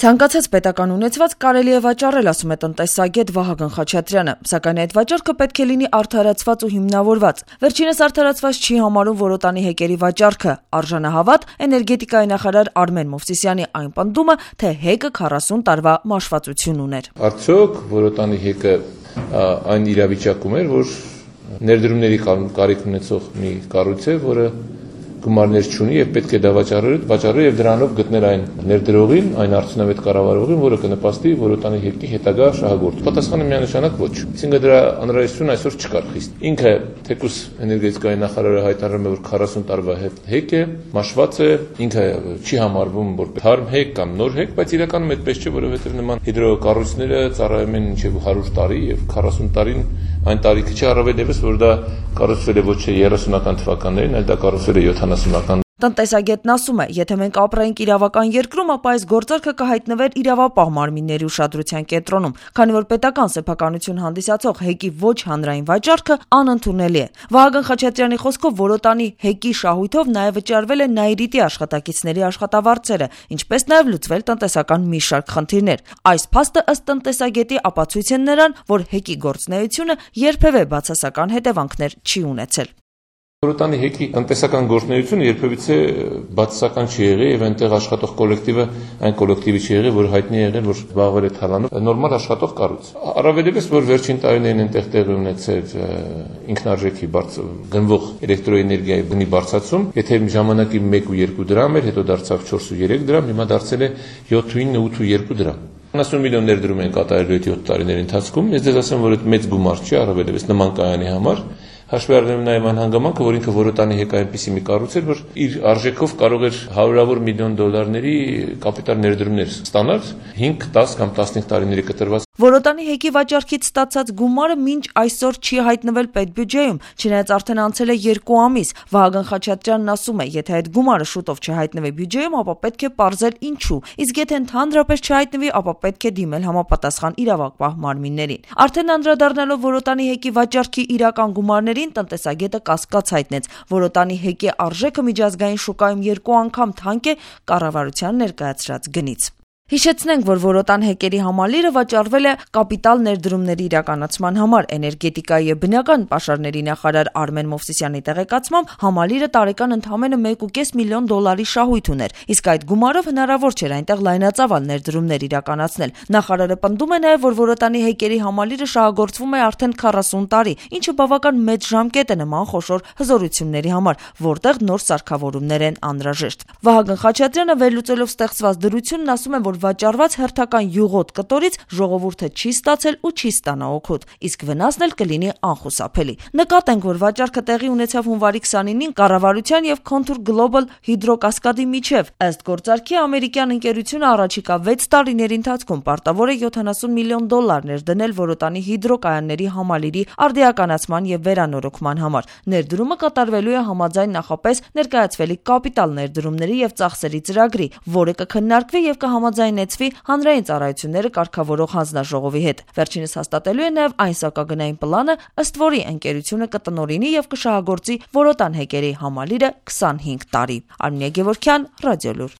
Ցանկացած պետական ունեցված կարելի է վաճառել, ասում է տնտեսագետ Վահագն Խաչատրյանը, սակայն այդ վաճառքը պետք է լինի արդարացված ու հիմնավորված։ Վերջինս արդարացված չի համարում Որոտանի հեկերի վաճառքը, արժանահավատ էներգետիկայի նախարար Արմեն Մովսիսյանի այն պնդումը, թե հեկը 40 տարվա մաշվածություն ուներ։ Արդյոք Որոտանի հեկը այն իրավիճակում էր, որ ներդրումների կարիք ունեցող մի կառույց է, որը գումարներ չունի եւ պետք է դա վաճառել եւ դրանով գտնել այն ներդրողին, այն արդյունավետ կառավարողին, որը կնպաստի Որոտանի հեկի հետագա շահագործմանը։ Պատասխանը միանշանակ ոչ։ Այսինքն դրա անհրաժեշտություն այսօր չկար խիստ։ Ինքը թեկուզ էներգետիկայի նախարարը հայտարարում է, որ 40 տարվա հեկ է, մաշված է, ինքը չի համարվում որպես թարմ հեկ կամ նոր հեկ, բայց իրականում այդպես չէ, որովհետեւ նման հիդրոկառույցները ծառայում են մինչեւ 100 տարի եւ 40 տարին այն տարիքը չի, առավել եւս որ դա կառուցվել է ոչ թե 30-ական թվականներին, այլ դա կառուցվել է 70-ական։ Տնտեսագետն ասում է, եթե մենք ապրեինք իրավական երկրում, ապա այս գործարքը կհայտնվեր իրավապահ մարմինների ուշադրության կենտրոնում, քանի որ պետական սեփականություն հանդիսացող հեկի ոչ հանրային վաճառքը անընդունելի է։ Վահագն Խաչատրյանի խոսքով Որոտանի հեկի շահույթով նաև վճարվել է Նաիրիտի աշխատակիցների աշխատավարձերը, ինչպես նաև լուծվել տնտեսական մի շարք խնդիրներ։ Այս փաստը ըստ տնտեսագետի ապացույց են նրան, որ հեկի գործունեությունը երբևէ բացասական հետևանքներ չի ունեցել։ Որոտանի հեկի տնտեսական գործունեությունը երբևիցե բացասական չի եղել եւ այնտեղ աշխատող կոլեկտիվը այն կոլեկտիվի չի եղել, որ հայտնի է եղել, որ զբաղվել է թալանով նորմալ աշխատող կառույց։ Առավել եւս որ վերջին տարիներին այնտեղ տեղի ունեցել ինքնարժեքի գնվող էլեկտրոէներգիայի գնի բարձրացում, եթե ժամանակի 1 ու 2 դրամ էր, հետո դարձավ 4 ու 3 դրամ, հիմա դարձել է 7 ու 9, 8 ու 2 դրամ։ 90 միլիոն ներդրում են կատարել այդ 7 տարիների ընթացքում։ Ես ձեզ ասեմ, որ այդ մեծ գումար չի, առավել եւս նման կայանի համար։ Հաշվի առնելով նաև այն հանգամանքը, որ ինքը Որոտանի հեկը այնպիսի մի կառույց էր, որ իր արժեքով կարող էր հարյուրավոր միլիոն դոլարների կապիտալ ներդրումներ ստանալ 5, 10 կամ 15 տարիների կտրված։ Որոտանի հեկի վաճառքից ստացած գումարը մինչ այսօր չի հայտնվել պետբյուջեում, չնայած արդեն անցել է 2 ամիս։ Վահագն Խաչատրյանն ասում է, եթե այդ գումարը շուտով չհայտնվի բյուջեում, ապա պետք է պարզել ինչու, իսկ եթե ընդհանրապես չհայտնվի, ապա պետք է դիմել համապատասխան իրավապահ մարմիններին։ Արդեն անդրադառնալով Որոտանի հեկի վաճառքի իրական գումարներին, տնտեսագետը կասկած հայտնեց։ Որոտանի հեկի արժեքը միջազգային շուկայում 2 անգամ թանկ է կառավարության ներկայացրած գնից։ Հիշեցնենք, որ Որոտան հեկերի համալիրը վաճառվել է կապիտալ ներդրումների իրականացման համար։ Էներգետիկայի եւ բնական պաշարների նախարար Արմեն Մովսիսյանի տեղեկացմամբ համալիրը տարեկան ընդամենը 1.5 միլիոն դոլարի շահույթ ուներ, իսկ այդ գումարով հնարավոր չէր այնտեղ լայնածավալ ներդրումներ իրականացնել։ Նախարարը պնդում է նաեւ, որ Որոտանի հեկերի համալիրը շահագործվում է արդեն 40 տարի, ինչը բավական մեծ ժամկետ է նման խոշոր հզորությունների համար, որտեղ նոր սարքավորումներ են անհրաժեշտ։ Վահագն Խաչատրյանը վերլուծելով ստեղծված դրությունն ասում է, որ վաճառված հերթական յուղոտ կտորից ժողովուրդը չի ստացել ու չի ստանա օգուտ, իսկ վնասն էլ կլինի անխուսափելի։ Նկատենք, որ վաճառքը տեղի ունեցավ հունվարի 29-ին կառավարության եւ Contour Global հիդրոկասկադի միջև։ Ըստ գործարքի ամերիկյան ընկերությունը առաջիկա 6 տարիների ընթացքում պարտավոր է 70 միլիոն դոլարներ դնել Որոտանի հիդրոկայանների համալիրի արդիականացման եւ վերանորոգման համար։ Ներդրումը կատարվելու է համաձայն նախապես ներկայացվելի կապիտալ ներդրումների եւ ծախսերի ծրագրի, որը կքննարկվի եւ կհամաձայնեցվի հանրային ծառայությունները կարգավորող հանձնաժողովի հետ։ Վերջինս հաստատելու է նաև այն սակագնային պլանը, ըստ որի ընկերությունը կտնօրինի եւ կշահագործի Որոտան հեկերի համալիրը 25 տարի։ Արմինե Գևորգյան, Ռադիոլուր։